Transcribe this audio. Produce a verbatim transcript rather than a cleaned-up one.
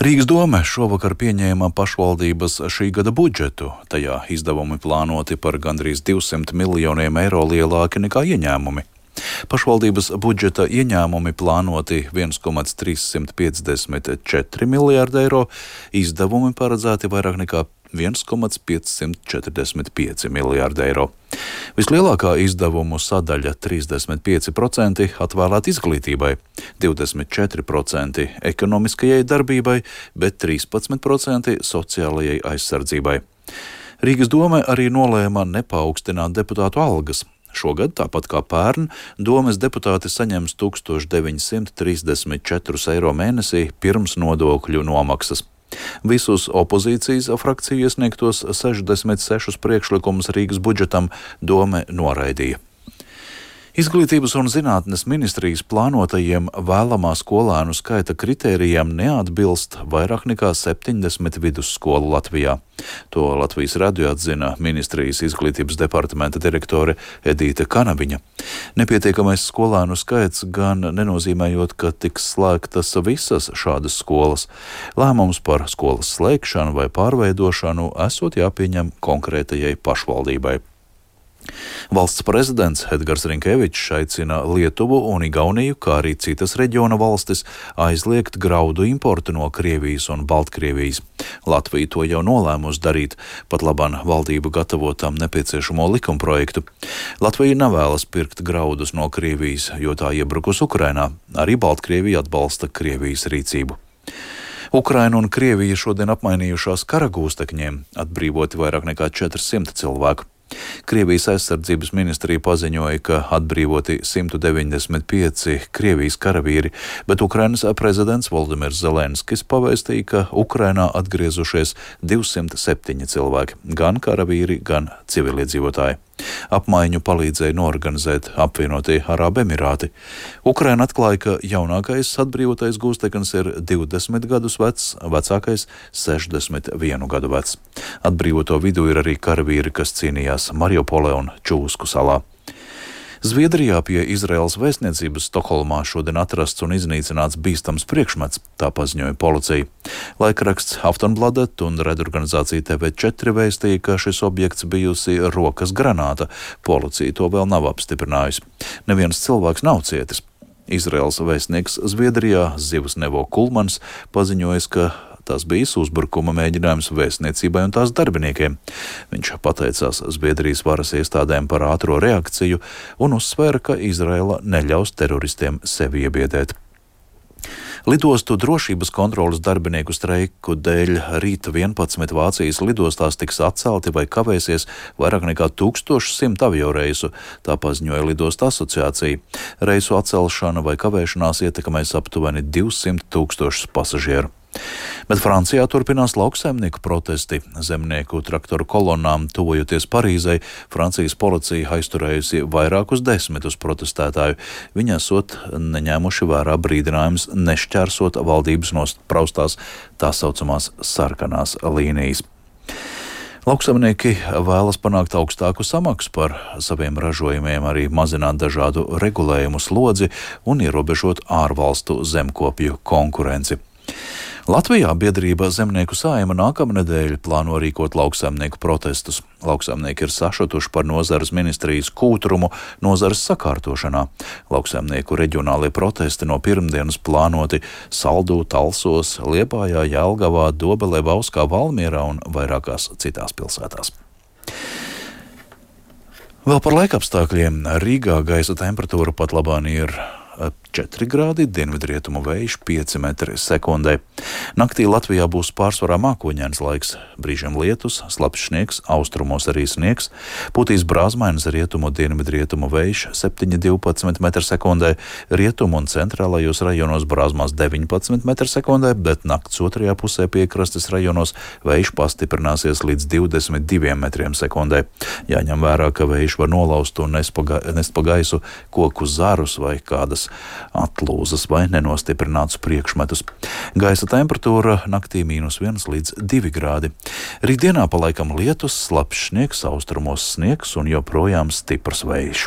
Rīgas dome šovakar pieņēma pašvaldības šī gada budžetu. Tajā izdevumi plānoti par gandrīz divsimt miljoniem eiro lielāki nekā ieņēmumi. Pašvaldības budžeta ieņēmumi plānoti viens komats trīssimt piecdesmit četri miljārdi eiro, izdevumi paredzēti vairāk nekā viens komats piecsimt četrdesmit pieci miljārdi eiro. Vislielākā izdevumu sadaļa trīsdesmit pieci procenti atvēlēta izglītībai, divdesmit četri procenti ekonomiskajai darbībai, bet trīspadsmit procenti sociālajai aizsardzībai. Rīgas dome arī nolēma nepaukstināt deputātu algas. Šogad, tāpat kā pērn, domes deputāti saņems tūkstoš deviņsimt trīsdesmit četrus eiro mēnesī pirms nodokļu nomaksas. Visus opozīcijas frakciju iesniegtos sešdesmit sešus priekšlikumus Rīgas budžetam dome noraidīja. Izglītības un zinātnes ministrijas plānotajiem vēlamā skolēnu skaita kritērijiem neatbilst vairāk nekā septiņdesmit vidusskolu Latvijā. To Latvijas radio atzina ministrijas izglītības departamenta direktore Edīte Kanaviņa. Nepietiekamais skolēnu skaits gan nenozīmējot, ka tiks slēgtas visas šādas skolas. Lēmums par skolas slēgšanu vai pārveidošanu esot jāpieņem konkrētajai pašvaldībai. Valsts prezidents Edgars Rinkevičs aicina Lietuvu un Igauniju, kā arī citas reģiona valstis, aizliegt graudu importu no Krievijas un Baltkrievijas. Latvija to jau nolēmusi darīt, pat labam valdība gatavo tam nepieciešamo likumprojektu. Latvija nevēlas pirkt graudus no Krievijas, jo tā iebrukus Ukrainā. Arī Baltkrievija atbalsta Krievijas rīcību. Ukraina un Krievija šodien apmainījušās karagūstekņiem, atbrīvoti vairāk nekā četrsimt cilvēku. Krievijas aizsardzības ministrija paziņoja, ka atbrīvoti simt deviņdesmit pieci Krievijas karavīri, bet Ukrainas prezidents Voldimirs Zelenskis pavēstīja, ka Ukrainā atgriezušies divsimt septiņi cilvēki, gan karavīri, gan civiliedzīvotāji. Apmaiņu palīdzēja norganizēt apvienotie Arābu Emirāti. Ukraina atklāja, ka jaunākais atbrīvotais gūsteknis ir divdesmit gadus vecs, vecākais sešdesmit vienu gadu vecs. Atbrīvoto vidū ir arī karavīri, kas cīnījās Mariupolē un Čūsku salā. Zviedrijā pie Izraēlas vēstniecības Stokholmā šodien atrasts un iznīcināts bīstams priekšmets, tā paziņoja policija. Laikraksts Aftonbladet un redorganizācija T V četri vēstīja, ka šis objekts bijusi rokas granāta. Policija to vēl nav apstiprinājusi. Neviens cilvēks nav cietis. Izraēlas vēstnieks Zviedrijā Zivs Nevo Kulmans paziņoja, ka tas bijis uzbrukuma mēģinājums vēstniecībai un tās darbiniekiem. Viņš pateicās Zviedrijas varas iestādēm par ātro reakciju un uzsvēra, ka Izraela neļaus teroristiem sevi iebiedēt. Lidostu drošības kontrolas darbinieku streiku dēļ rīt vienpadsmit Vācijas lidostās tiks atcelti vai kavēsies vairāk nekā tūkstoš simt avioreisu, tā paziņoja Lidostu asociācija. Reisu atcelšana vai kavēšanās ietekmēs aptuveni divsimt tūkstošus pasažieru. Bet Francijā turpinās lauksaimnieku protesti. Zemnieku traktoru kolonnām tuvojoties Parīzei, Francijas policija aizturējusi vairākus desmitus protestētāju. Viņi esot neņēmuši vērā brīdinājums nešķērsot valdības nospraustās tā saucamās sarkanās līnijas. Lauksaimnieki vēlas panākt augstāku samaksu par saviem ražojumiem, arī mazināt dažādu regulējumu slodzi un ierobežot ārvalstu zemkopju konkurenci. Latvijā biedrība Zemnieku saeima nākamnedēļ plāno rīkot lauksaimnieku protestus. Lauksaimnieki ir sašutuši par nozares ministrijas kūtrumu nozares sakārtošanā. Lauksaimnieku reģionālie protesti no pirmdienas plānoti Saldū, Talsos, Liepājā, Jelgavā, Dobelē, Bauskā, Valmierā un vairākās citās pilsētās. Vēl par laikapstākļiem. Rīgā gaisa temperatūra pat labāk ir četri grādi, dienvidrietumu vējš pieci metri sekundē. Naktī Latvijā būs pārsvarā mākoņains laiks, brīžiem lietus, slapjš sniegs, austrumos arī sniegs, pūtīs brāzmainas rietumu dienvidrietumu vējš septiņi divpadsmit metri sekundē, rietumu un centrālajos rajonos brāzmās deviņpadsmit metri sekundē, bet nakts otrajā pusē piekrastes rajonos vējš pastiprināsies līdz divdesmit diviem metriem sekundē. Jāņem vērā, ka vējš var nolaust un nest pa gaisu koku zarus vai kādas atlūzas vai nenostiprinātus priekšmetus. Gaisa temperatūra naktī mīnus viens līdz divi grādi. Rītdienā palaikam lietus, slapjš sniegs, austrumos sniegs un joprojām stiprs vējš.